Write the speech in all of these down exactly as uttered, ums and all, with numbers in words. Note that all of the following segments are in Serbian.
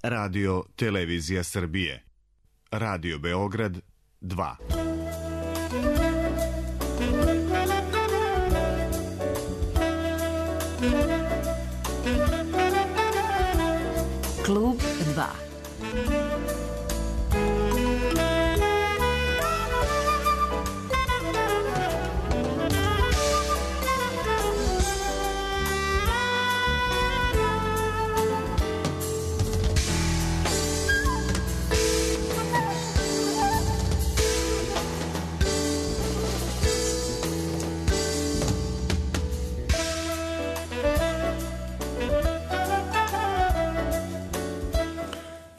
Radio Televizija Srbije. Radio Beograd dva. Klub dva.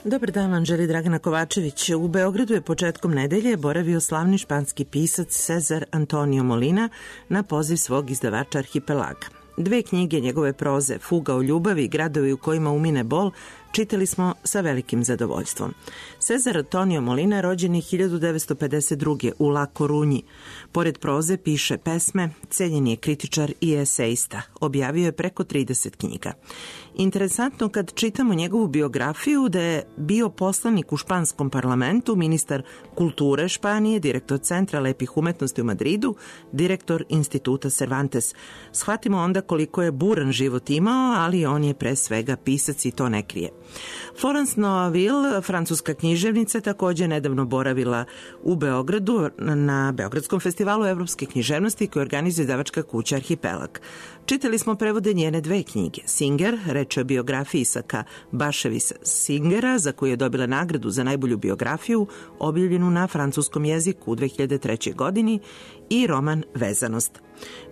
Dobar dan vam želi Dragana Kovačević. U Beogradu je početkom nedelje boravio slavni španski pisac Cezar Antonio Molina na poziv svog izdavača Arhipelaga. Dve knjige njegove proze, Fuga o ljubavi i Gradovi u kojima umine bol, čitali smo sa velikim zadovoljstvom. Cezar Antonio Molina rođen je hiljadu devetsto pedeset druge u La Korunji. Pored proze piše pesme, cenjen je kritičar i esejista. Objavio je preko trideset knjiga. Interesantno kad čitamo njegovu biografiju da je bio poslanik u španskom parlamentu, ministar kulture Španije, direktor Centra lepih umetnosti u Madridu, direktor Instituta Cervantes. Shvatimo onda koliko je buran život imao, ali on je pre svega pisac i to ne krije. Florence Noaville, francuska književnica, također nedavno boravila u Beogradu na Beogradskom festivalu evropske književnosti koju organizuje izdavačka kuća Arhipelag. Čitali smo prevode njene dve knjige. Singer, reč je o biografiji Isaka Baševisa Singera, za koju je dobila nagradu za najbolju biografiju, objavljenu na francuskom jeziku u dve hiljade trećoj. godini, i roman Vezanost.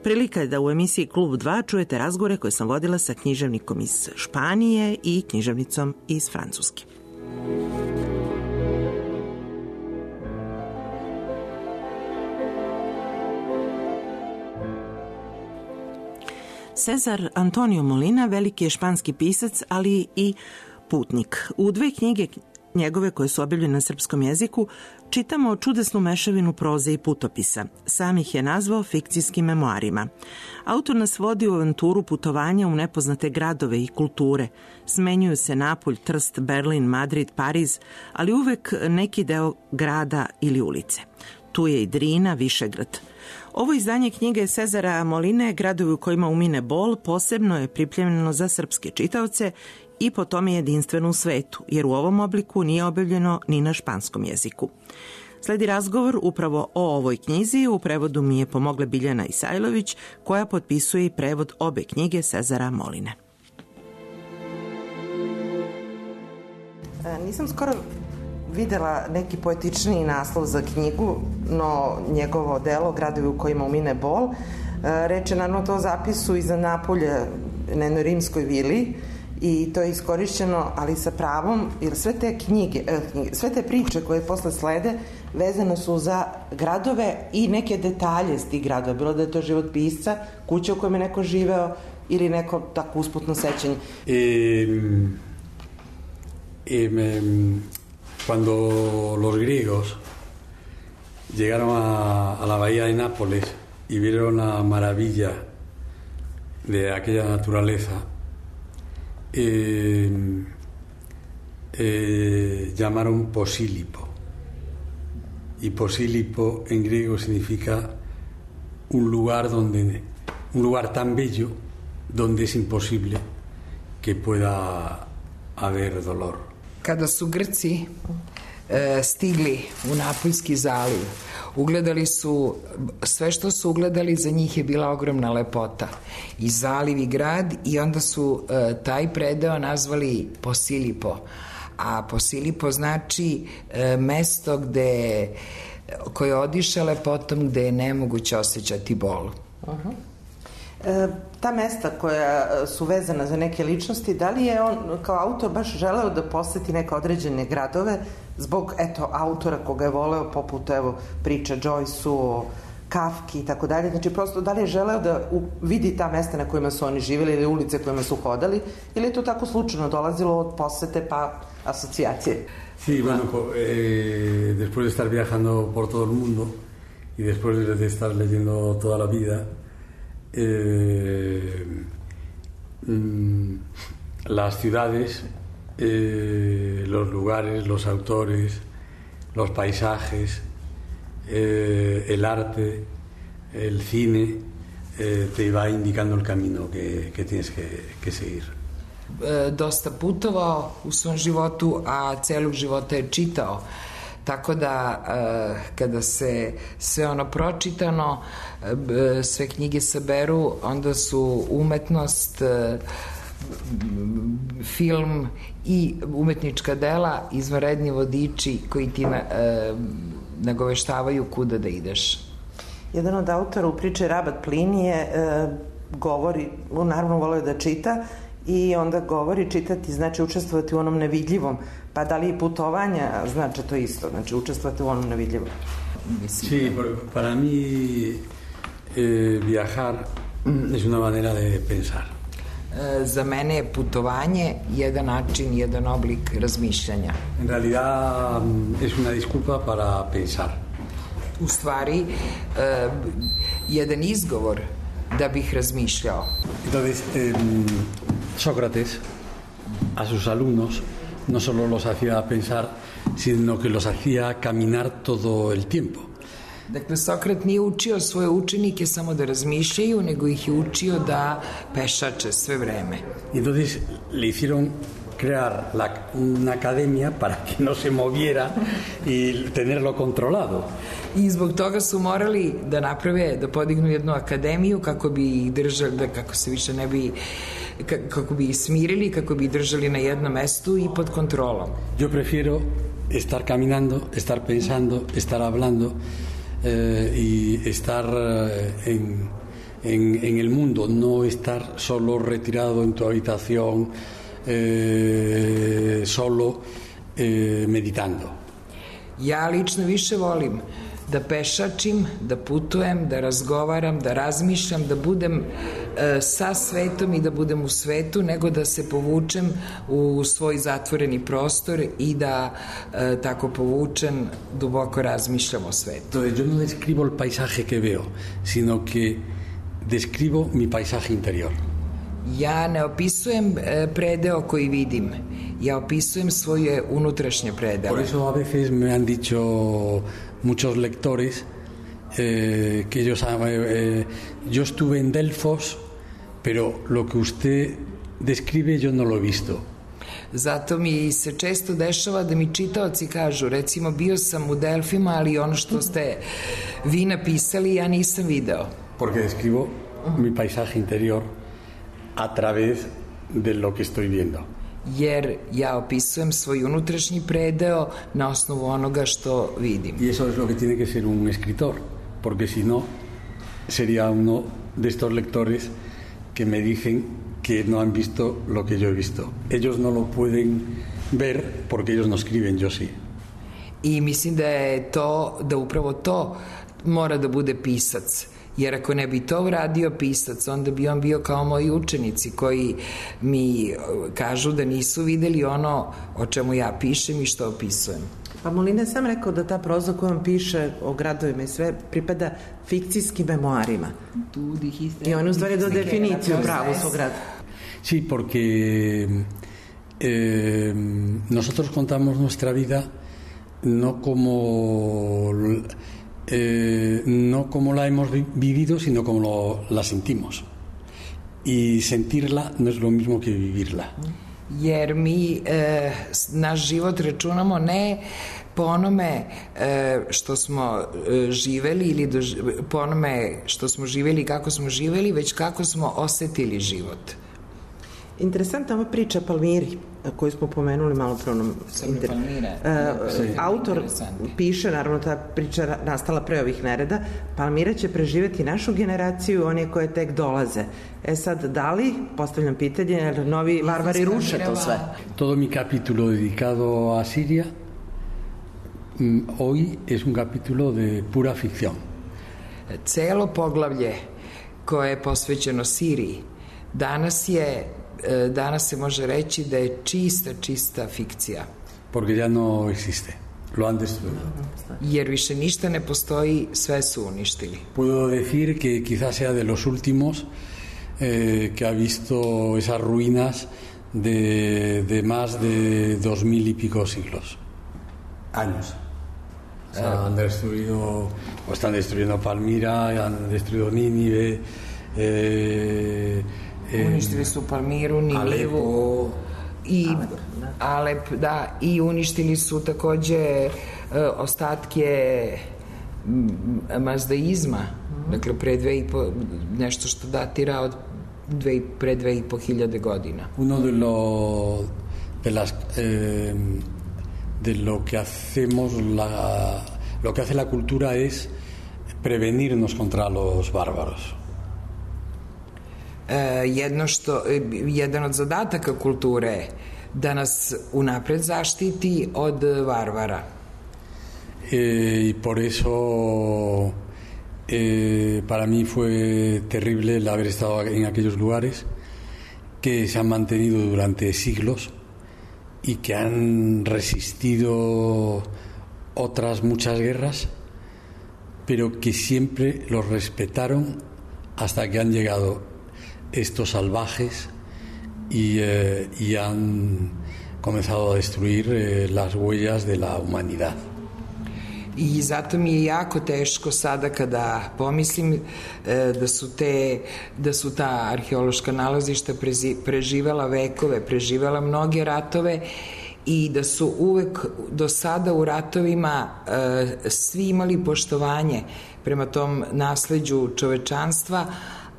Prilika je da u emisiji Klub dva čujete razgovore koje sam vodila sa književnikom iz Španije i književnicom iz Francuske. Cezar Antonio Molina veliki je španski pisac, ali i putnik. U dve knjige njegove koje su objavljene na srpskom jeziku čitamo čudesnu mešavinu proze i putopisa. Sam ih je nazvao fikcijskim memoarima. Autor nas vodi u avanturu putovanja u nepoznate gradove i kulture. Smenjuju se Napulj, Trst, Berlin, Madrid, Pariz, ali uvek neki deo grada ili ulice. Tu je i Drina, Višegrad. Ovo izdanje knjige Cezara Moline, Gradovi u kojima umine bol, posebno je pripremljeno za srpske čitaoce i po tome je jedinstveno u svetu, jer u ovom obliku nije objavljeno ni na španskom jeziku. Sledi razgovor upravo o ovoj knjizi, u prevodu mi je pomogla Biljana Isajlović, koja potpisuje i prevod obe knjige Cezara Moline. E, nisam skoro videla neki poetičniji naslov za knjigu, no njegovo delo Gradovi u kojima umine bol. E, reč je naravno to zapisu iza Napulja na jednoj rimskoj vili, i to je iskorišćeno, ali sa pravom, jer sve te knjige, sve te priče koje posle slede vezano su za gradove i neke detalje s tih gradova. Bilo da je to život pisca, kuća u kojem je neko živeo ili neko tako usputno sećanje. I, i me, cuando los griegos llegaron a, a la bahía de Nápoles y vieron la maravilla de aquella naturaleza, Eh, eh, llamaron Posílipo, y Posílipo en griego significa un lugar donde un lugar tan bello donde es imposible que pueda haber dolor. Kada su Grci e, stigli u Napuljski zaliv, ugledali su, sve što su ugledali za njih je bila ogromna lepota. I zaliv i grad, i onda su e, taj predeo nazvali Posilipo. A Posilipo znači e, mesto gde, koje odiše lepotom, gde je nemoguće osjećati bol. Uh-huh. E, ta mesta koja su vezana za neke ličnosti, da li je on kao autor baš želeo da poseti neke određene gradove zbog, eto, autora koga je voleo, poput, evo, priča Joyce-u, Kafki i tako dalje, znači prosto da li je želeo da u, vidi ta mesta na kojima su oni živjeli ili ulice kojima su hodali, ili je to tako slučajno dolazilo od posete pa asocijacije? Sí, bueno, eh, después de estar viajando por todo el mundo y después de estar leyendo toda la vida, eh, las ciudades eh, los lugares, los autores, los paisajes, eh, el arte, el cine, eh, te va indicando el camino que, que tienes que, que seguir. E, dosta putovao u svom životu, a celog života je čitao. Tako da, e, kada se sve ono pročitano, e, sve knjige saberu, onda su umetnost, e, film i umetnička dela izvanredni vodiči koji ti na, e, nagoveštavaju kuda da ideš. Jedan od autora u priči Rabat Plinije e, govori, naravno voleo da čita, i onda govori čitati znači učestvovati u onom nevidljivom, pa da li i putovanja znači to isto, znači učestvovati u onom nevidljivom. Sí, para mí eh, viajar es una manera de pensar. E, za mene je putovanje jedan način, jedan oblik razmišljanja. En realidad es una disculpa para pensar. U stvari, e, jedan izgovor da bih razmišljao. Entonces, eh, Sócrates a sus alumnos no solo los hacía pensar, sino que los hacía caminar todo el tiempo. Dakle, Sokrat nije učio svoje učenike samo da razmišljaju, nego ih je učio da pešače sve vreme. Y entonces le hicieron crear la, una academia para que no se moviera y tenerlo controlado. I zbog toga su morali da naprave, da podignu jednu akademiju kako bi ih držali, da kako se više ne bi, kako bi ih smirili, kako bi ih držali na jednom mestu i pod kontrolom. Yo prefiero estar caminando, estar pensando, estar hablando eh, y estar en, en, en el mundo, no estar solo retirado en tu habitación, eh, solo eh, meditando. Ja lično više volim da pešačim, da putujem, da razgovaram, da razmišljam, da budem e, sa svetom i da budem u svetu, nego da se povučem u svoj zatvoreni prostor i da e, tako povučen duboko razmišljam o svetu. Entonces, yo no describo el paisaje que veo, sino que describo mi paisaje interior. Ja ne opisujem e, predeo koji vidim, ja opisujem svoje unutrašnje predele. Por eso a veces me han dicho muchos lectores eh, que ellos eh, yo estuve en Delfos, pero lo que usted describe yo no lo he visto. Zato mi se često dešava da mi čitaoci kažu, recimo bio sam u Delfima, ali ono što ste vi napisali ja nisam video. Porque describo mi paisaje interior a través de lo que estoy viendo. Jer ja opisujem svoj unutrašnji predeo na osnovu onoga što vidim. Y eso es lo que tiene que ser un escritor, porque si no, sería uno de estos lectores que me dicen que no han visto lo que yo he visto. Ellos no lo pueden ver porque ellos no escriben, yo sí. I mislim da je to, da upravo to mora da bude pisac. Jer ako ne bi to uradio pisac, onda bi on bio kao moji učenici koji mi kažu da nisu videli ono o čemu ja pišem i što opisujem. Pa Molina je sam rekao da ta proza koju on piše o gradovima i sve pripada fikcijskim memoarima. I on u stvari do definiciju pravu svog grada. Sí, porque eh, nosotros contamos nuestra vida no como... Eh, no como la hemos vivido, sino como lo, la sentimos. Y sentirla no es lo mismo que vivirla. Jer mi e, naš život računamo ne po onome e, što smo e, živeli ili dož, po onome što smo živeli, kako smo živeli, već kako smo osetili život. Interesantna ova priča Palmiri koju smo pomenuli malo pre onom inter... uh, autor piše, naravno ta priča nastala pre ovih nereda, Palmira će preživeti našu generaciju, one koje tek dolaze. E sad, da li, postavljam pitanje, jer novi varvari ruše to sve? Todo mi capítulo dedicado a Siria hoy es un capítulo de pura ficción. Celo poglavlje koje je posvećeno Siriji danas je danas se može reći da je čista, čista fikcija. Porque ya no existe. Lo han destruido. Jer više ništa ne postoji, sve su uništili. Puedo decir que quizás sea de los últimos eh, que ha visto esas ruinas de, de más de dos mil y pico siglos, años. O sea, han destruido, o están destruyendo Palmira, han destruido Nínive, eh, uništili su Palmiru, Ninivu i Alep, da, i uništili su takođe ostatke mazdaizma, dakle pre dve i po, nešto što datira od dve, pre dve i po hiljade godina. Uno de lo de las eh, de lo que hacemos la lo que hace la cultura es prevenirnos contra los bárbaros. E, jedno što, jedan od zadataka kulture je da nas unapred zaštiti od varvara. Eh, y por eso eh, para mí fue terrible el haber estado en aquellos lugares que se han mantenido durante siglos y que han resistido otras muchas guerras, pero que siempre los respetaron hasta que han llegado estos salvajes y, eh, y han comenzado a destruir eh, las huellas de la humanidad. I zato mi je jako teško sada kada pomislim e, da su te da su ta arheološka nalazišta prezi, preživela vekove, preživela mnoge ratove i da su uvek do sada u ratovima e, svi imali poštovanje prema tom nasleđu čovečanstva,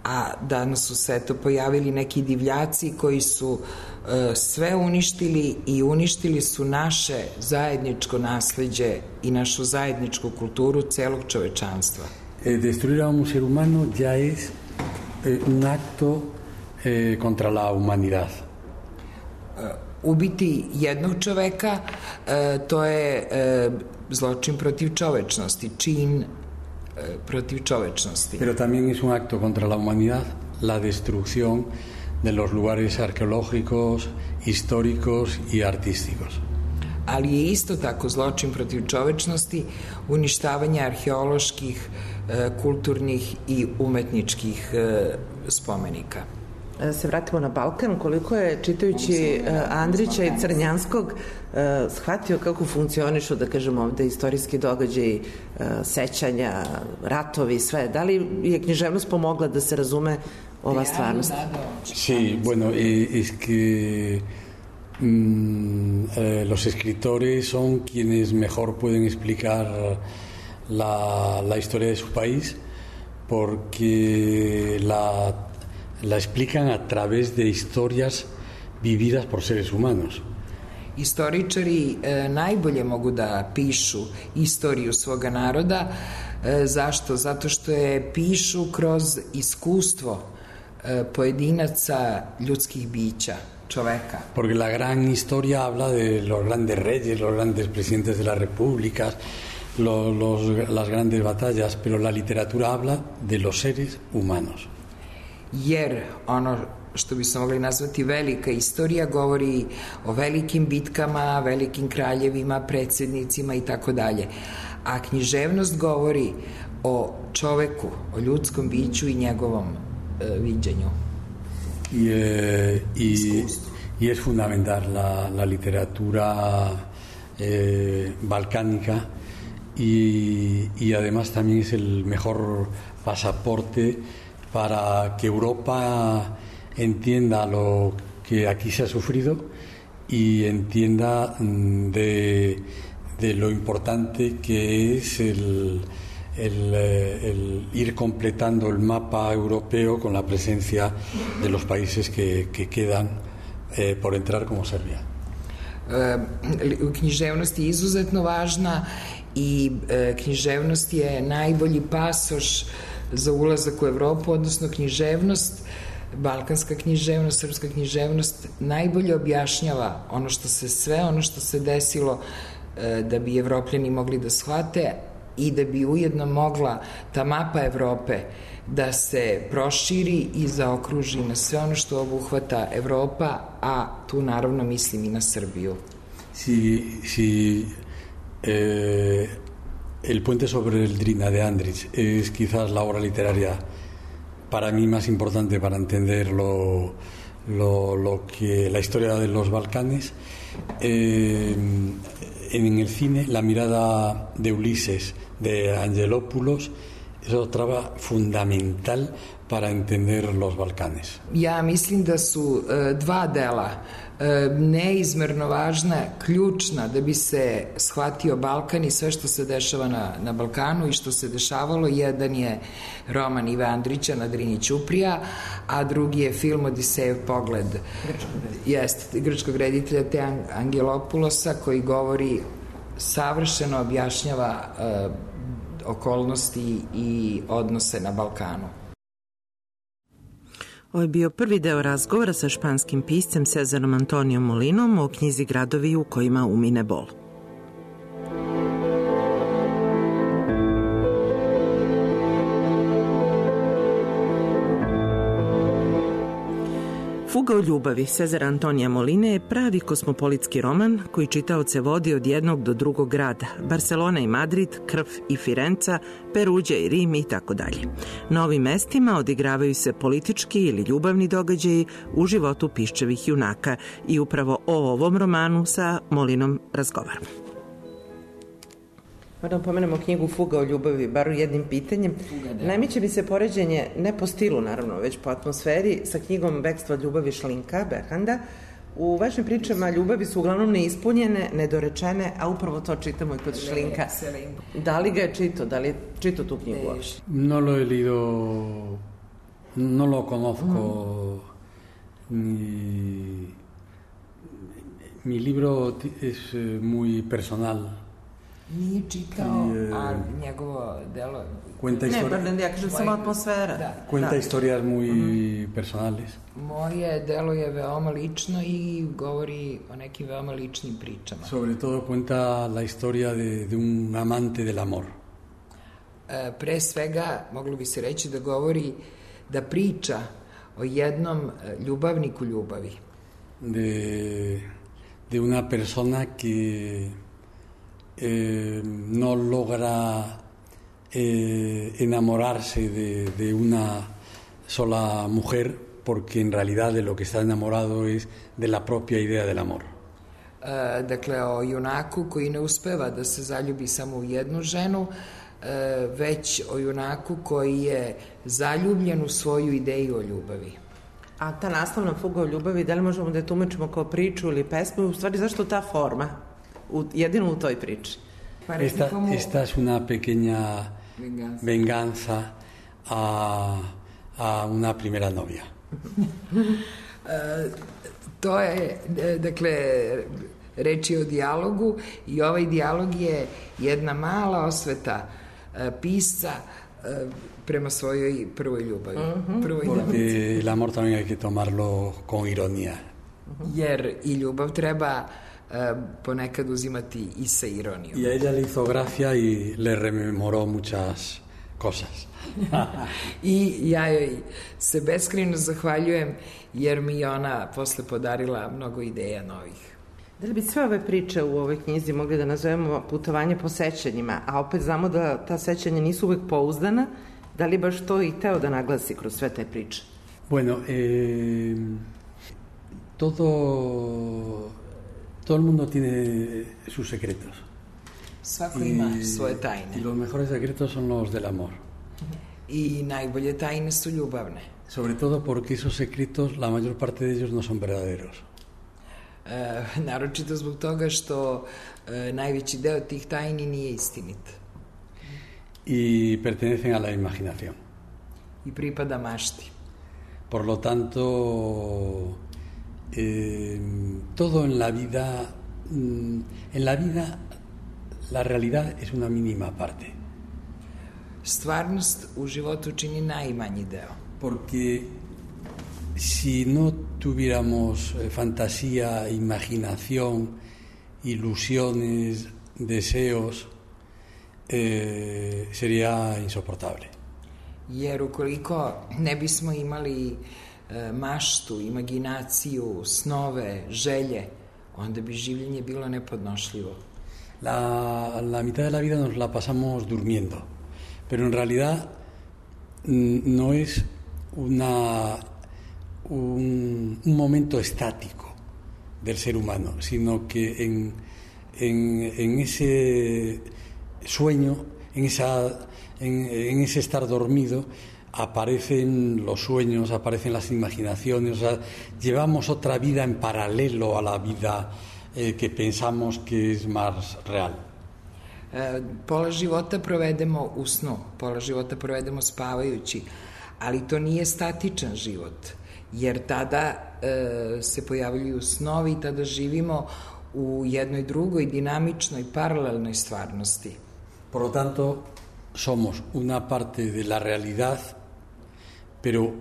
a danas su se to pojavili neki divljaci koji su e, sve uništili i uništili su naše zajedničko nasleđe i našu zajedničku kulturu celog čovečanstva. Eh, destruir a un ser humano ya es eh, un acto eh, contra la humanidad. Ubiti jednog čoveka, e, to je e, zločin protiv čovečnosti, čin e, protiv čovečnosti. Pero también es un acto contra la humanidad la destrucción de los lugares arqueológicos, históricos y artísticos. Ali je isto tako zločin protiv čovečnosti uništavanje arheoloških, e, kulturnih i umetničkih e, spomenika. Da se vratimo na Balkan, koliko je čitajući Andrića i Crnjanskog shvatio kako funkcionišu, da kažemo ovde, istorijski događaji, sećanja, ratovi, sve. Da li je književnost pomogla da se razume ova stvarnost? Sí, bueno, es que mm, eh, los escritores son quienes mejor pueden explicar la, la historia de su país, porque la la explican a través de historias vividas por seres humanos. Istoričari e, najbolje mogu da pišu istoriju svoga naroda. E, zašto? Zato što je pišu kroz iskustvo e, pojedinaca ljudskih bića, čoveka. Porque la gran historia habla de los grandes reyes, los grandes presidentes de las repúblicas, los, los, las grandes batallas, pero la literatura habla de los seres humanos. Jer ono što bi se mogli nazvati velika istorija govori o velikim bitkama, velikim kraljevima, predsednicima i tako dalje. A književnost govori o čoveku, o ljudskom biću i njegovom e, viđenju. Y, eh, y, y es fundamental la, la literatura eh, balcánica y, y además también es el mejor pasaporte para que Europa entienda lo que aquí se ha sufrido y entienda de, de lo importante que es el, el, el ir completando el mapa europeo con la presencia de los países que, que quedan eh, por entrar, como Serbia. E, književnost je izuzetno važna i e, književnost je najbolji pasoš za ulazak u Evropu, odnosno književnost, balkanska književnost, srpska književnost najbolje objašnjava ono što se sve, ono što se desilo e, da bi Evropljani mogli da shvate i da bi ujedno mogla ta mapa Evrope da se proširi i zaokruži na sve ono što obuhvata Evropa, a tu naravno mislim i na Srbiju. Si, si eh, El puente sobre el Drina de Andrić es quizás la obra literaria para mí más importante para entender lo, lo, lo que la historia de los Balcanes. Eh, en el cine, la mirada de Ulises, de Angelopoulos, je otra fundamental para entender los Balcanes. Ja mislim da su uh, dva dela uh, neizmerno važna, ključna da bi se shvatio Balkan i sve što se dešava na, na Balkanu i što se dešavalo. Jedan je roman Ive Andrića na Drini Ćuprija, a drugi je film Odisejev pogled Jeste, grčkog reditelja te Angelopoulosa, koji govori, savršeno objašnjava uh, okolnosti i odnose na Balkanu. Ovo je bio prvi deo razgovora sa španskim piscem Cezarom Antonijom Molinom o knjizi Gradovi u kojima umine bol. Fuga o ljubavi Cezara Antonija Moline je pravi kosmopolitski roman koji čitaoce vodi od jednog do drugog grada, Barcelona i Madrid, Krf i Firenca, Peruđa i Rim i tako dalje. Na ovim mestima odigravaju se politički ili ljubavni događaji u životu piščevih junaka i upravo o ovom romanu sa Molinom razgovaramo. Moram pomenemo knjigu Fuga o ljubavi, bar jednim pitanjem. Najmiće mi se poređenje, ne po stilu naravno, već po atmosferi, sa knjigom Bekstvo od ljubavi Šlinka, Behanda. U vašim pričama ljubavi su uglavnom neispunjene, nedorečene, a upravo to čitamo i kod Šlinka. Da li ga je čito? Da li je čito tu knjigu uopšte? No lo he leído, no lo conozco, ni... Mi libro es muy personal. Nije čitao, a njegovo delo... Cuenta ne, pardon, ja kažem samo atmosfera. Da. Cuenta da. Historias muy mm-hmm. personales. Moje delo je veoma lično i govori o nekim veoma ličnim pričama. Sobre todo cuenta la historia de, de un amante del amor. E, pre svega, moglo bi se reći da govori, da priča o jednom ljubavniku ljubavi. De, de una persona que... Eh, no logra eh, enamorarse de, de una sola mujer porque en realidad de lo que está enamorado es de la propia idea del amor. E, dakle, o junaku koji ne uspeva da se zaljubi samo u jednu ženu, e, već o junaku koji je zaljubljen u svoju ideju o ljubavi. A ta naslovna Fuga o ljubavi, da li možemo da je tumačimo kao priču ili pesmu? U stvari, zašto ta forma? U, jedino u toj priči. Esta, esta es una pequeña venganza, venganza a, a una primera novia. e, to je, dakle, reč je o dijalogu i ovaj dijalog je jedna mala osveta e, pisca e, prema svojoj prvoj ljubavi. Mm-hmm. Prvoj Porque el amor también hay que tomarlo con ironía. Jer i ljubav treba ponekad uzimati i sa ironijom. Y a ella le hizo gracia y le rememoró muchas cosas. I ja joj se beskrajno zahvaljujem jer mi je ona posle podarila mnogo ideja novih. Da li bi sve ove priče u ovoj knjizi mogli da nazovemo putovanje po sećanjima, a opet znamo da ta sećanja nisu uvek pouzdana, da li baš to i teo da naglasi kroz sve te priče? Bueno, eh, todo... Todo el mundo tiene sus secretos. Svako ima svoje tajne. Y los mejores secretos son los del amor. I najbolje tajne su ljubavne. Sobre todo porque esos secretos, la mayor parte de ellos no son verdaderos. E, naročito zbog toga što e, najveći deo tih tajni nije istinit. Y pertenecen a la imaginación. I pripada mašti. Por lo tanto... Eh, todo en la vida, en la vida la realidad es una mínima parte. Stvarnost u životu čini najmanji deo. Porque si no tuviéramos fantasía, imaginación, ilusiones, deseos, eh, sería insoportable. Jer ukoliko ne bismo imali maštu, imaginaciju, snove, želje, onda bi življenje bilo nepodnošljivo. La, la mitad de la vida nos la pasamos durmiendo, pero en realidad no es una, un, un momento estático del ser humano, sino que en, en, en ese sueño, en, esa, en, en ese estar dormido, aparecen los sueños, aparecen las imaginaciones, o sea, llevamos otra vida en paralelo a la vida eh, que pensamos que es más real. E, pola života provedemo u snu, pola života provedemo spavajući, ali to nije statičan život, jer tada e, se pojavljuju snovi i tada živimo u jednoj drugoj dinamičnoj, paralelnoj stvarnosti. Por lo tanto, somos una parte de la realidad, pero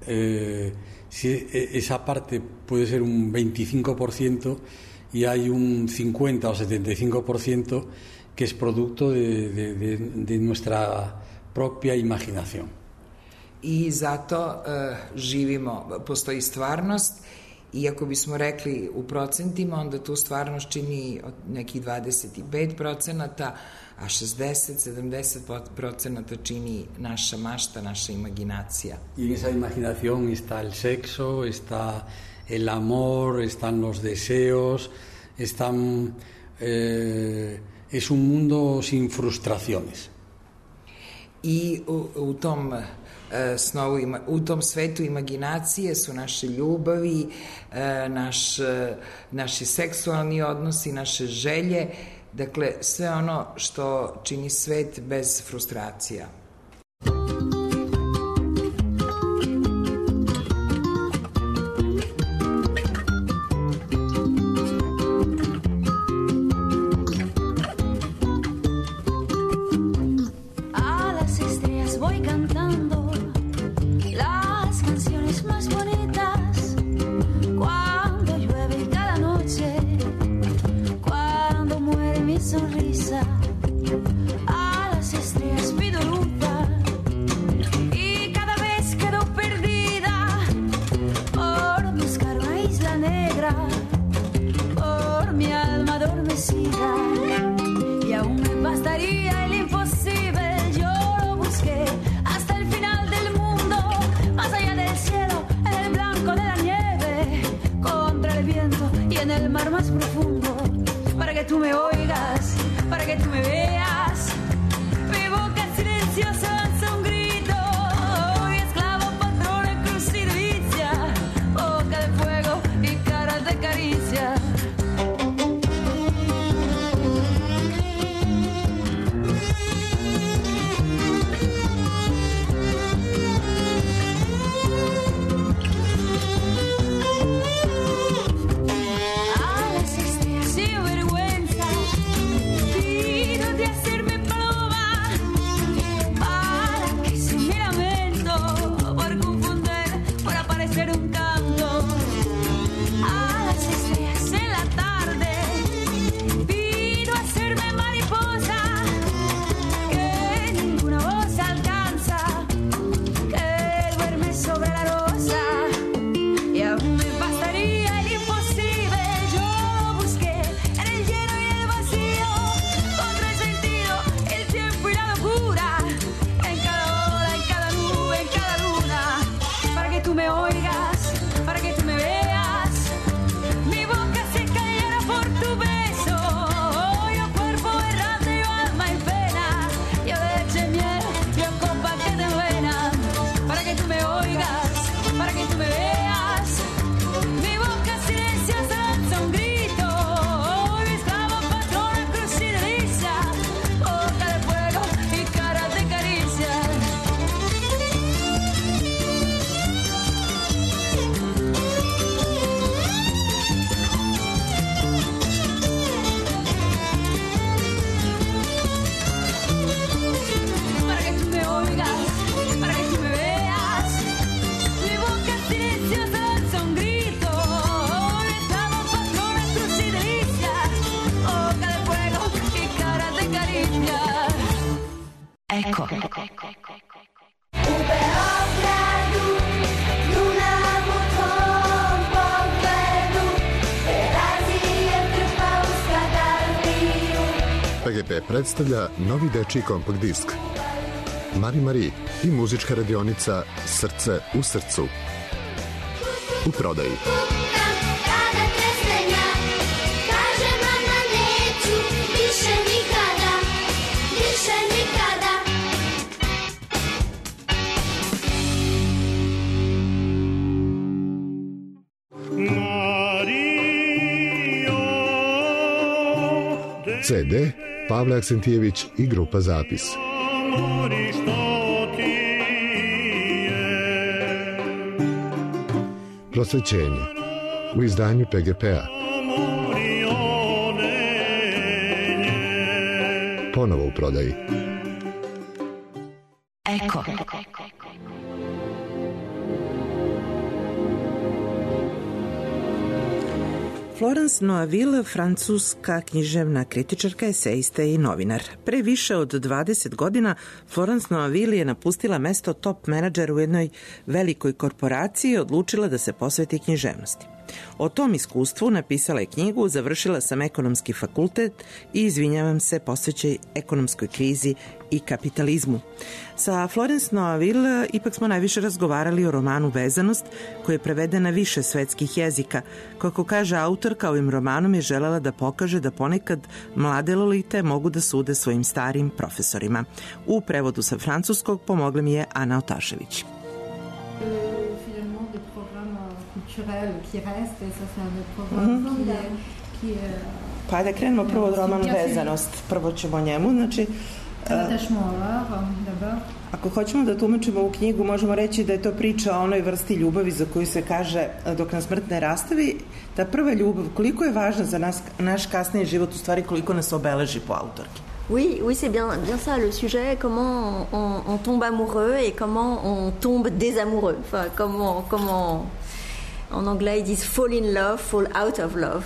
eh, si esa parte puede ser un veinticinco por ciento y hay un cincuenta o setenta y cinco por ciento que es producto de, de, de, de nuestra propia imaginación. I zato uh, živimo, postoji stvarnost, i ako bismo rekli u procentima, onda tu stvarnost čini nekih dvadeset pet procenata, a šezdeset do sedamdeset procenata čini naša mašta, naša imaginacija. Y en esa imaginación está el sexo, está el amor, están los deseos, están, eh, es un mundo sin frustraciones. I u, u tom snovu, u tom svetu imaginacije su naše ljubavi, naš, naši seksualni odnosi, naše želje, dakle sve ono što čini svet bez frustracija. Ecco. P G P predstavlja novi dečiji kompakt disk Mari Mari i muzička radionica Srce u srcu. u prodaji. ce de Pavle Aksentijević i grupa Zapis. Prosvećenje u izdanju P G P-a. Ponovo u prodaji. Eko. Florence Noaville, francuska književna kritičarka, esejista i novinar. Pre više od dvadeset godina Florence Noaville je napustila mesto top menadžera u jednoj velikoj korporaciji i odlučila da se posveti književnosti. O tom iskustvu napisala je knjigu, završila sam ekonomski fakultet i, izvinjavam se, posvećaj ekonomskoj krizi i kapitalizmu. Sa Florence Noaville ipak smo najviše razgovarali o romanu Vezanost, koji je preveden na više svetskih jezika. Kako kaže autorka, ovim romanom je želela da pokaže da ponekad mlade lolite mogu da sude svojim starim profesorima. U prevodu sa francuskog pomogla mi je Ana Otašević. Qui reste, et ça c'est un programme mm-hmm. qui est, qui est... Pa da krenemo prvo od roman Vezanost. Prvo ćemo o njemu, znači... Ako hoćemo da tumačimo ovu knjigu, možemo reći da je to priča o onoj vrsti ljubavi za koju se kaže dok nas smrt ne rastavi. Ta prva ljubav, koliko je važna za nas, naš kasniji život, u stvari koliko nas obeleži po autorki? Oui, oui, c'est bien, bien ça le sujet, comment on, on tombe amoureux et comment on tombe désamoureux. Enfin, comment... comment... En anglais, ils disent fall in love, fall out of love.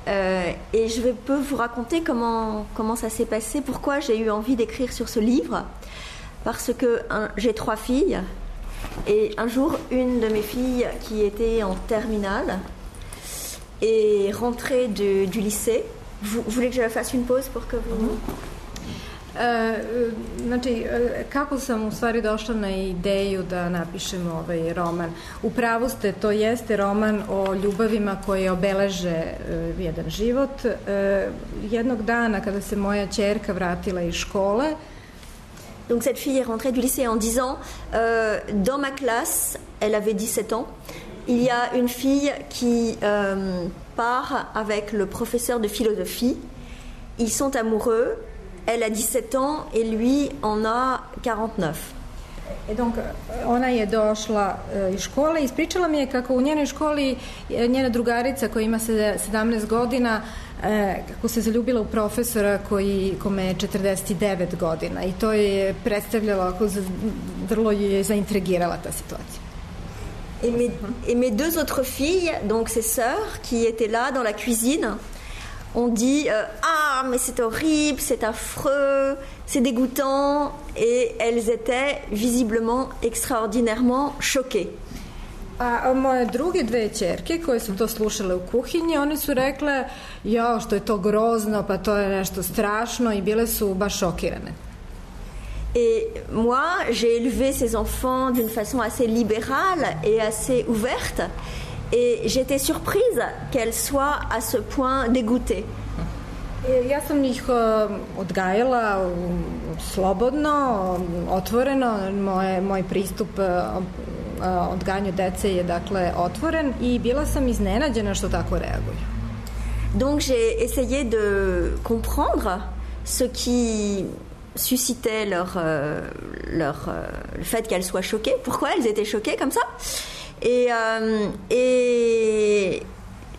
Euh, et je vais, peux vous raconter comment, comment ça s'est passé, pourquoi j'ai eu envie d'écrire sur ce livre. Parce que un, j'ai trois filles, et un jour, une de mes filles qui était en terminale est rentrée de, du lycée. Vous, vous voulez que je fasse une pause pour que vous... Mm-hmm. E, znači, kako sam u stvari došla na ideju da napišem ovaj roman? U pravu ste, to jeste roman o ljubavima koje obeleže uh, jedan život. E, jednog dana kada se moja ćerka vratila iz škole, donc cette fille est rentrée du lycée en disant euh, dans ma classe, elle avait dix-sept ans, il y a une fille qui euh, part avec le professeur de philosophie, ils sont amoureux. Elle a dix-sept ans et lui en a quarante-neuf. Et donc, ona je došla iz škole i ispričala mi je kako u njenoj školi njena drugarica koja ima sedamnaest godina, kako se zaljubila u profesora koji, kome je četrdeset devet godina, i to je predstavljalo, vrlo je zaintrigirala ta situacija. Et mes, et mes deux autres filles, donc ses sœurs, qui étaient là dans la cuisine, on dit euh, ah mais c'est horrible, c'est affreux, c'est dégoûtant, et elles étaient visiblement extraordinairement choquées. A moje druge dve ćerke koje su to slušale u kuhinji, one su rekle jao što je to grozno, pa to je nešto strašno, i bile su baš šokirane. Et moi, j'ai élevé ces enfants d'une façon assez libérale et assez ouverte. Et j'étais surprise qu'elle soit à ce point dégoûtée. Ja sam ih odgajala slobodno, otvoreno. Moje, moj pristup odgajanju dece je dakle otvoren i bila sam iznenađena što tako reaguju. Donc j'ai essayé de comprendre ce qui suscitait leur, leur, le fait qu'elles soient choquées, pourquoi elles étaient choquées comme ça. Et, euh, et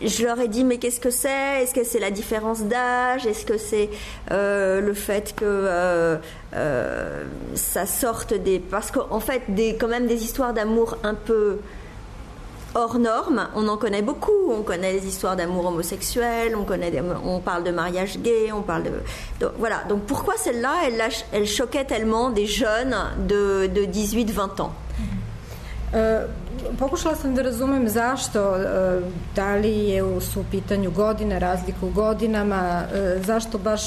je leur ai dit mais qu'est-ce que c'est? Est-ce que c'est la différence d'âge? Est-ce que c'est euh, le fait que euh, euh, ça sorte des... Parce qu'en fait, des, quand même des histoires d'amour un peu hors normes, on en connaît beaucoup. On connaît les histoires d'amour homosexuel, on, connaît des, on parle de mariage gay, on parle de... Donc, voilà. Donc pourquoi celle-là, elle, elle choquait tellement des jeunes de, de dix-huit vingt ans? Euh, Pokušala sam da razumem zašto, da li je u su pitanju godine, razlika u godinama, zašto baš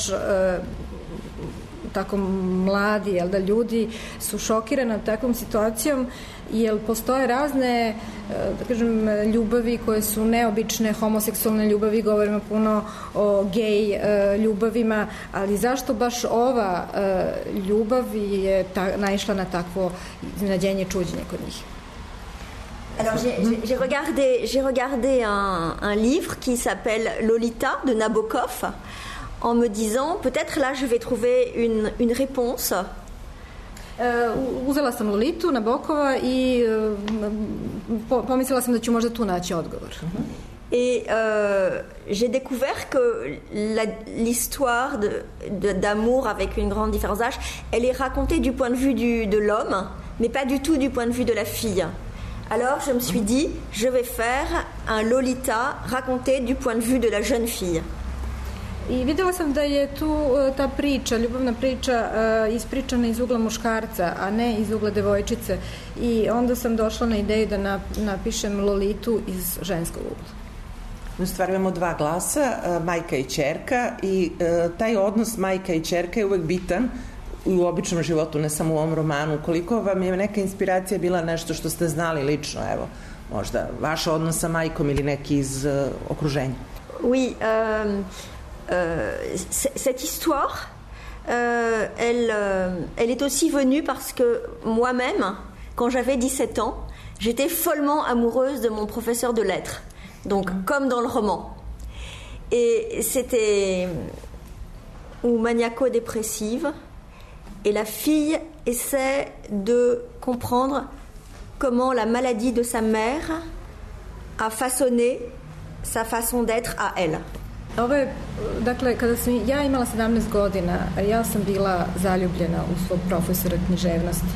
tako mladi, jel da ljudi su šokirani takvom situacijom, jer postoje razne, da kažem, ljubavi koje su neobične, homoseksualne ljubavi, govorimo puno o gej ljubavima, ali zašto baš ova ljubav je ta, naišla na takvo iznenađenje, čuđenje kod njih? Alors j'ai regardé, j'ai regardé un, un livre qui s'appelle Lolita de Nabokov en me disant peut-être là je vais trouver une, une réponse. Uh, uzela sam Lolitu Nabokova i uh, pomislila sam da ću možda tu naći odgovor. Et euh, j'ai découvert que la, l'histoire de, de, d'amour avec une grande différence d'âge, elle est racontée du point de vue du, de l'homme, mais pas du tout du point de vue de la fille. Alors je me suis dit, je vais faire un Lolita raconté du point de vue de la jeune fille. I videla sam da je tu ta priča, ljubavna priča ispričana iz ugla muškarca, a ne iz ugla devojčice. I onda sam došla na ideju da napišem Lolitu iz ženskog ugla. U stvari imamo dva glasa, majka i ćerka, i taj odnos majka i ćerka je uvek bitan u običnom životu, ne samo u ovom romanu. Koliko vam je neka inspiracija bila nešto što ste znali lično, evo, možda vaš odnos sa majkom ili neki iz uh, okruženja? Oui, euh, euh, cette histoire, euh, elle, euh, elle est aussi venue parce que moi-même, quand j'avais dix-sept ans, j'étais follement amoureuse de mon professeur de lettres, donc comme dans le roman. Et c'était ou maniaco-dépressive. Et la fille essaie de comprendre comment la maladie de sa mère a façonné sa façon d'être à elle. Ovo je, dakle, kada sam ja imala sedamnaest godina, ja sam bila zaljubljena u svog profesora književnosti.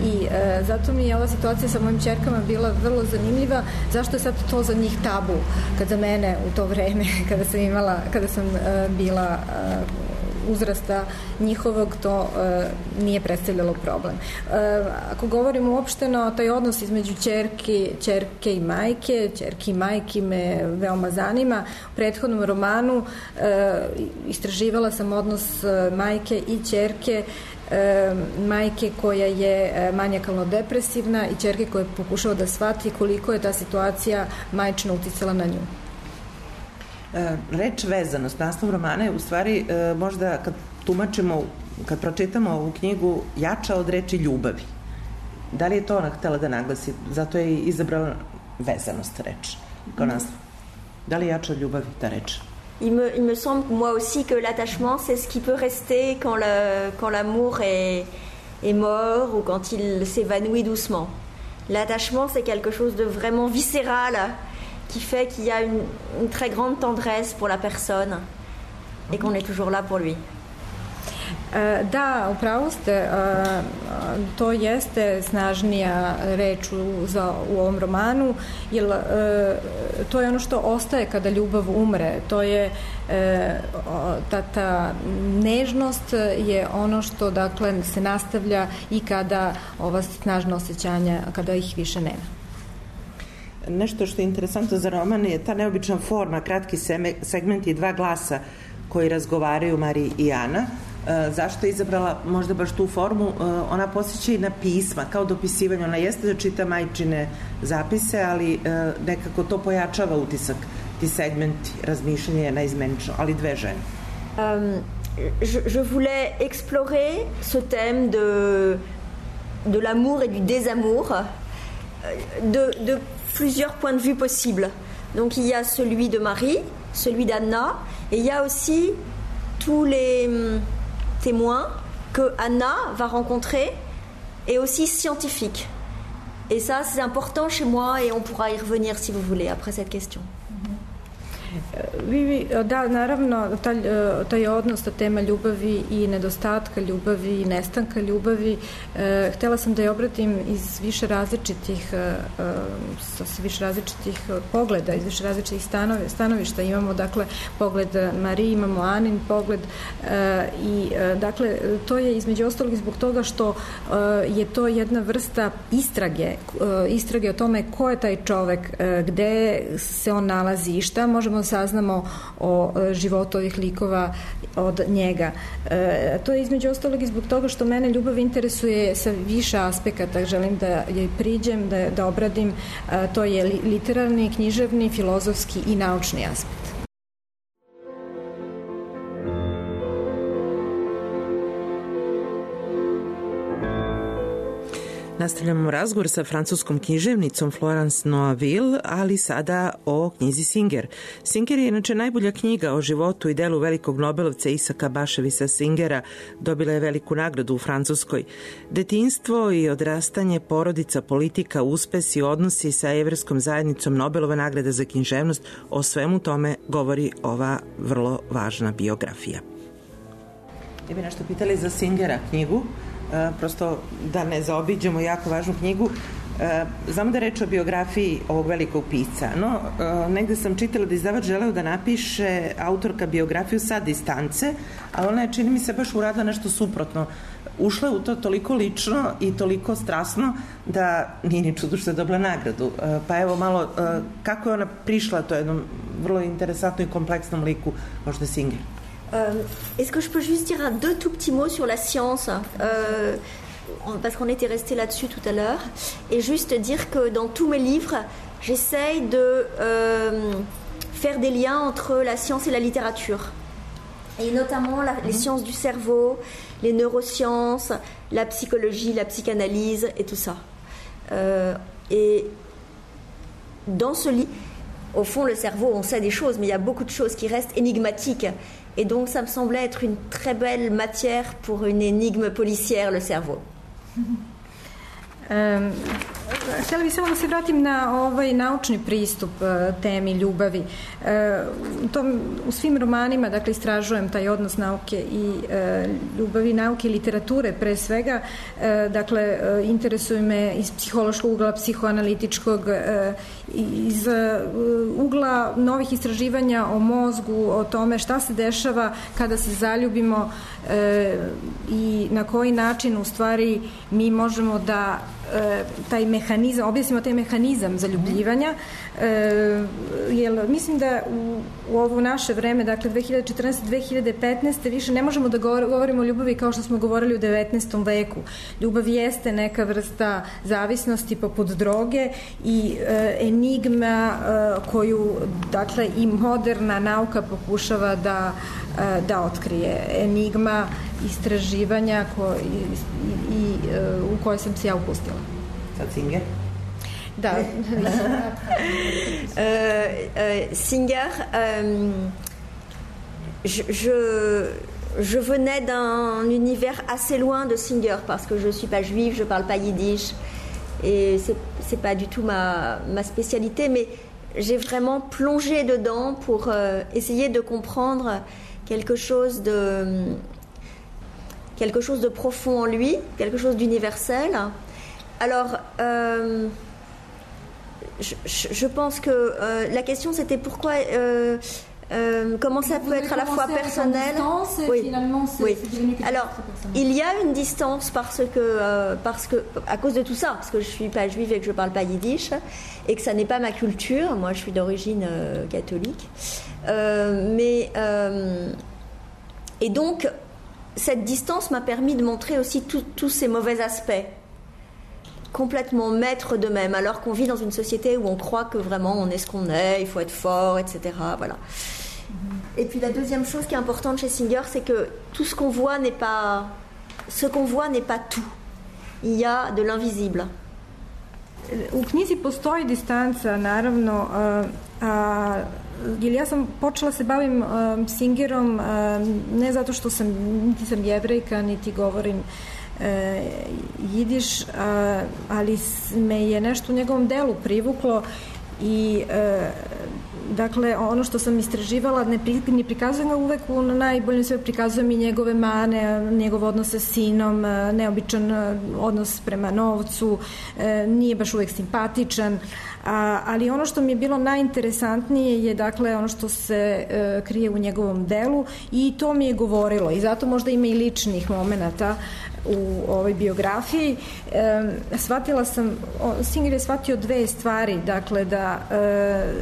I e, zato mi je ova situacija sa mojim ćerkama bila vrlo zanimljiva. Zašto je sad to za njih tabu, kad za mene u to vreme, kada sam imala, kada sam e, bila e, uzrasta njihovog, to e, nije predstavljalo problem. E, ako govorimo uopšteno, taj odnos između ćerke, ćerke i majke, ćerke i majke me veoma zanima. U prethodnom romanu e, istraživala sam odnos majke i ćerke, e, majke koja je manijakalno depresivna i ćerke koja pokušava da shvati koliko je ta situacija majčina uticala na nju. Reč vezanost, naslov romana je u stvari možda kad tumačimo, kad pročitamo ovu knjigu, jača od reči ljubavi. Da li je to ona htela da naglasi? Zato je izabrala vezanost reč kao naslov. Da li je jača od ljubavi ta reč? Il me, il me semble moi aussi que l'attachement c'est ce qui peut rester quand, le, quand l'amour est, est mort ou quand il s'évanouit doucement. L'attachement c'est quelque chose de vraiment viscéral qui fait qu'il y a une, une très grande tendresse pour la personne et qu'on est toujours là pour lui. Da, upravo ste, to jeste snažnija reč u, za, u ovom romanu, jer to je ono što ostaje kada ljubav umre, to je ta, ta nežnost je ono što, dakle, se nastavlja i kada ova snažna osjećanja, kada ih više nema. Nešto što je interesantno za roman je ta neobična forma, kratki segmenti i dva glasa koji razgovaraju, Mari i Ana. E, zašto je izabrala možda baš tu formu? E, ona posjeća i na pisma, kao dopisivanje. Ona jeste da čita majčine zapise, ali e, nekako to pojačava utisak. Ti segmenti, razmišljanje je naizmenično, ali dve žene. Um, je, je voulais explorer ce thème de, de l'amour et du désamour, de, de plusieurs points de vue possibles. Donc il y a celui de Marie, celui d'Anna, et il y a aussi tous les hum, témoins que Anna va rencontrer, et aussi scientifiques. Et ça, c'est important chez moi, et on pourra y revenir si vous voulez après cette question. Vi, vi, da, naravno, taj, taj odnos, ta tema ljubavi i nedostatka ljubavi i nestanka ljubavi, e, htela sam da je obratim iz više različitih e, sa više različitih pogleda, iz više različitih stanove, stanovišta. Imamo, dakle, pogled Mariji, imamo Anin pogled e, i, e, dakle, to je između ostalog zbog toga što e, je to jedna vrsta istrage, e, istrage o tome ko je taj čovek, e, gde se on nalazi i šta možemo eventualno saznamo o životu ovih likova od njega. E, to je između ostalog i zbog toga što mene ljubav interesuje sa više aspekata. Želim da je priđem, da, da obradim. E, to je literarni, književni, filozofski i naučni aspekt. Nastavljamo razgovor sa francuskom književnicom Florence Noaville, ali sada o knjizi Singer. Singer je inače najbolja knjiga o životu i delu velikog nobelovca Isaka Baševisa Singera. Dobila je veliku nagradu u Francuskoj. Detinjstvo i odrastanje, porodica, politika, uspesi, odnosi sa evrskom zajednicom, Nobelova nagrada za književnost, o svemu tome govori ova vrlo važna biografija. Ja bi nešto pitali za Singera knjigu. Uh, prosto da ne zaobiđemo jako važnu knjigu. Uh, znamo da je reč o biografiji ovog velikog pisca, no uh, negde sam čitala da izdavač želeo da napiše autorka biografiju sa distance, ali ona je, čini mi se, baš uradila nešto suprotno. Ušla je u to toliko lično i toliko strasno da nije ni čudo što je dobila nagradu. Uh, pa evo malo, uh, kako je ona prišla to jednom vrlo interesantnom i kompleksnom liku kao što je Singer? Euh, est-ce que je peux juste dire deux tout petits mots sur la science euh, parce qu'on était resté là-dessus tout à l'heure, et juste dire que dans tous mes livres, j'essaye de euh, faire des liens entre la science et la littérature, et notamment la, les sciences du cerveau, les neurosciences, la psychologie, la psychanalyse et tout ça. Euh, et dans ce livre, au fond, le cerveau, on sait des choses, mais il y a beaucoup de choses qui restent énigmatiques. Et donc, ça me semblait être une très belle matière pour une énigme policière, le cerveau. Um, htjela bih samo da se vratim na ovaj naučni pristup uh, temi ljubavi. Uh, tom, u svim romanima, dakle, istražujem taj odnos nauke i uh, ljubavi, nauke i literature pre svega. Uh, dakle, uh, interesuju me iz psihološkog ugla, psihoanalitičkog, uh, iz uh, ugla novih istraživanja o mozgu, o tome šta se dešava kada se zaljubimo uh, i na koji način u stvari mi možemo da taj mehanizam, objasnimo taj mehanizam zaljubljivanja, jer mislim da u, u ovo naše vreme, dakle dve hiljade četrnaeste do dve hiljade petnaeste više ne možemo da govorimo o ljubavi kao što smo govorili u devetnaestom veku. Ljubav jeste neka vrsta zavisnosti poput droge i enigma koju, dakle, i moderna nauka pokušava da, da otkrije. Enigma istraživanja ko, i, i, i u koje sam se ja upustila. Sad Singer? Da. euh, euh, Singer, euh, je, je, je venais d'un univers assez loin de Singer parce que je ne suis pas juive, je ne parle pas yiddish et c'est, c'est pas du tout ma, ma spécialité, mais j'ai vraiment plongé dedans pour euh, essayer de comprendre quelque chose de, quelque chose de profond en lui, quelque chose d'universel. Alors, euh, je, je pense que euh, la question c'était pourquoi, euh, euh, comment ça peut être à la fois personnel. Oui. Oui. Alors, il y a une distance parce que, euh, parce que, à cause de tout ça, parce que je suis pas juive et que je parle pas yiddish et que ça n'est pas ma culture. Moi, je suis d'origine euh, catholique, euh, mais euh, et donc cette distance m'a permis de montrer aussi tous ces mauvais aspects. Complètement maître d'eux-mêmes, alors qu'on vit dans une société où on croit que vraiment on est ce qu'on est, il faut être fort, et cetera. Voilà. Et puis la deuxième chose qui est importante chez Singer, c'est que tout ce qu'on voit n'est pas, ce qu'on voit n'est pas tout. Il y a de l'invisible. U knjizi postoji distanca, naravno, a, a, jer ja sam počela se bavim a, Singerom a, ne zato što sam, niti sam jevrejka, niti govorim E, jidiš, a, ali me je nešto u njegovom delu privuklo i e, dakle ono što sam istraživala ne, pri, ne prikazujem ga uvek u najboljem, sve prikazujem i njegove mane, njegov odnos sa sinom, neobičan odnos prema novcu, e, nije baš uvek simpatičan, a, ali ono što mi je bilo najinteresantnije je dakle ono što se e, krije u njegovom delu i to mi je govorilo i zato možda ima i ličnih momenata u ovoj biografiji. E, shvatila sam, Singer je shvatio dve stvari, dakle da e,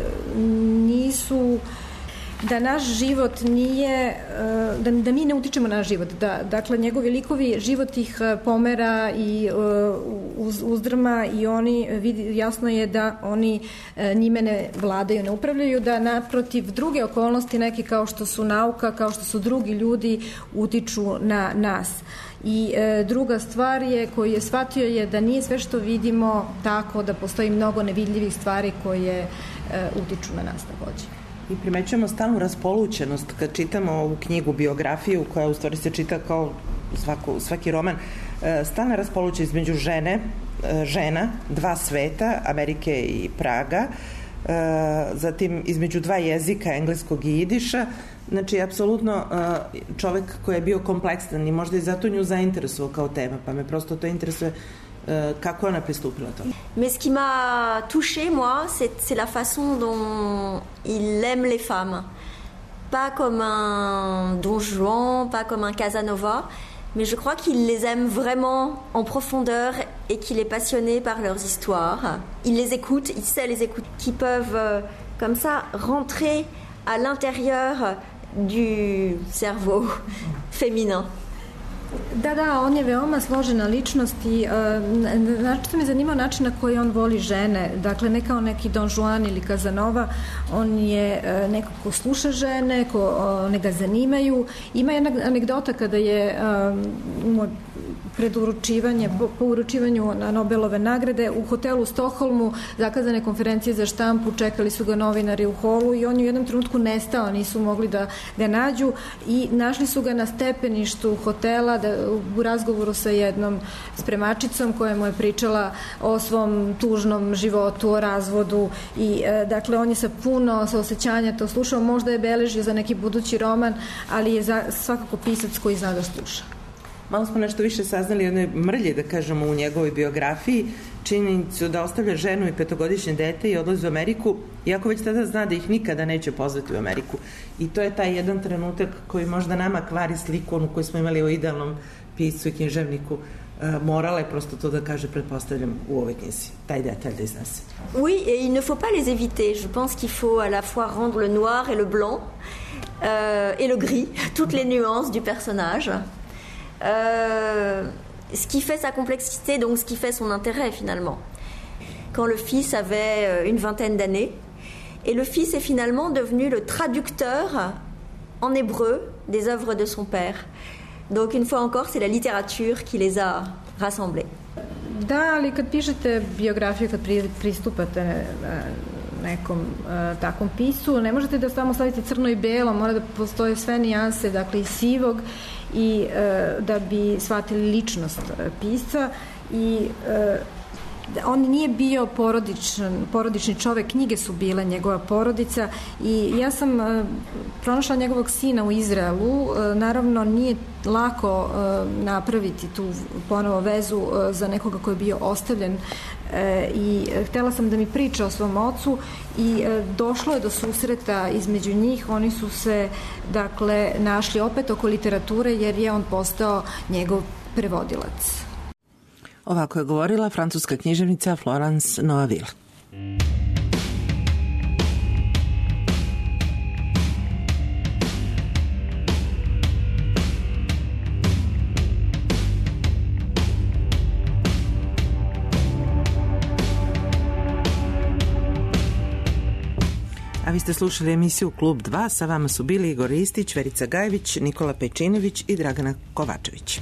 nisu da naš život nije, da, da mi ne utičemo na naš život. Da, dakle, njegovi likovi život ih pomera i uz, uzdrma i oni, vidi, jasno je da oni njime ne vladaju, ne upravljaju, da naprotiv druge okolnosti neke kao što su nauka, kao što su drugi ljudi utiču na nas. I e, druga stvar je koju je shvatio je da nije sve što vidimo tako, da postoji mnogo nevidljivih stvari koje e, utiču na nas takođe. I primećujemo stalnu raspolućenost kad čitamo ovu knjigu, biografiju, koja u stvari se čita kao svaku, svaki roman, e, stalna raspolućenost između žene, e, žena, dva sveta, Amerike i Praga, e, zatim između dva jezika, engleskog i jidiša. Znači, apsolutno čovek koji je bio kompleksan i možda i zato nju zainteresovao kao tema, pa me prosto to interesuje kako ona pristupila to. Mais ce qui m'a touchée, moi, c'est, c'est la façon dont il aime les femmes. Pas comme un Don Juan, pas comme un Casanova, mais je crois qu'il les aime vraiment en profondeur et qu'il est passionné par leurs histoires. Il les écoute, il sait les écouter, qui peuvent euh, comme ça rentrer à l'intérieur du cerveau féminin. Da, da, on je veoma složena ličnost i uh, način me zanimao način na koji on voli žene, dakle ne kao neki Don Juan ili Casanova, on je uh, neko ko sluša žene, ko uh, ne ga zanimaju. Ima jedna anegdota kada je uh, pred uručivanje, po, po uručivanju na Nobelove nagrade u hotelu u Stokholmu zakazane konferencije za štampu, čekali su ga novinari u holu i on je u jednom trenutku nestao, nisu mogli da ga nađu i našli su ga na stepeništu hotela da, u razgovoru sa jednom spremačicom koja mu je pričala o svom tužnom životu, o razvodu i e, dakle on je sa puno sa osjećanja to slušao, možda je beležio za neki budući roman, ali je za, svakako pisac koji zna da sluša. Malo smo nešto više saznali o jednoj mrlji, da kažemo, u njegovoj biografiji, činjenicu da ostavlja ženu i petogodišnje dete i odlazi u Ameriku, iako već tada zna da ih nikada neće pozvati u Ameriku. I to je taj jedan trenutak koji možda nama kvari sliku, onu koju smo imali o idealnom piscu i književniku. Morala je prosto to da kaže, pretpostavljam, u ovoj knjizi, taj detalj da iznese. Oui, et il ne faut pas les éviter. Je pense qu'il faut à la fois rendre le noir et le blanc, euh, et le gris, toutes les nuances du personnage. Euh, ce qui fait sa complexité, donc ce qui fait son intérêt finalement. Quand le fils avait une vingtaine d'années, et le fils est finalement devenu le traducteur en hébreu des œuvres de son père. Donc une fois encore, c'est la littérature qui les a rassemblés. Da, ali kad pišete biografiju, kad pristupate nekom uh, takvom pisu, ne možete da samo stavite crno i belo, mora da postoje sve nijanse, dakle i sivog, i uh, da bi shvatili ličnost uh, pisca i uh, on nije bio porodičan, porodični čovek, knjige su bile njegova porodica i ja sam uh, pronašla njegovog sina u Izraelu, uh, naravno nije lako uh, napraviti tu ponovo vezu uh, za nekoga koji je bio ostavljen uh, i htela sam da mi priča o svom ocu i uh, došlo je do susreta između njih, oni su se dakle našli opet oko literature jer je on postao njegov prevodilac. Ovako je govorila francuska književnica Florence Noaville. A vi ste slušali emisiju Klub dva, sa vama su bili Igor Ristić, Verica Gajević, Nikola Pejčinović i Dragana Kovačević.